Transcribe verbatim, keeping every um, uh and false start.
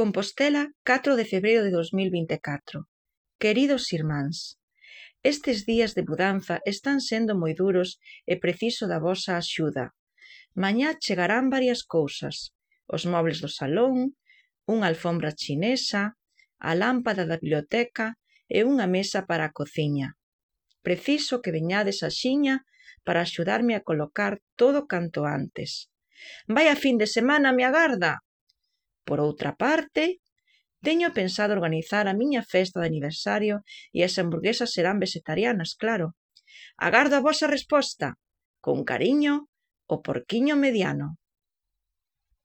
Compostela, catro de febreiro de dos mil vinte e catro. Queridos irmáns, estes días de mudanza están sendo moi duros e preciso da vosa axuda. Mañá chegarán varias cousas: os mobles do salón, unha alfombra chinesa, a lámpada da biblioteca e unha mesa para a cociña. Preciso que veñades axiña para axudarme a colocar todo canto antes. Vaia fin de semana me agarda! Por outra parte, teño pensado organizar a miña festa de aniversario e as hamburguesas serán vegetarianas, claro. Agardo a vosa resposta. Con cariño, o Porquiño Mediano.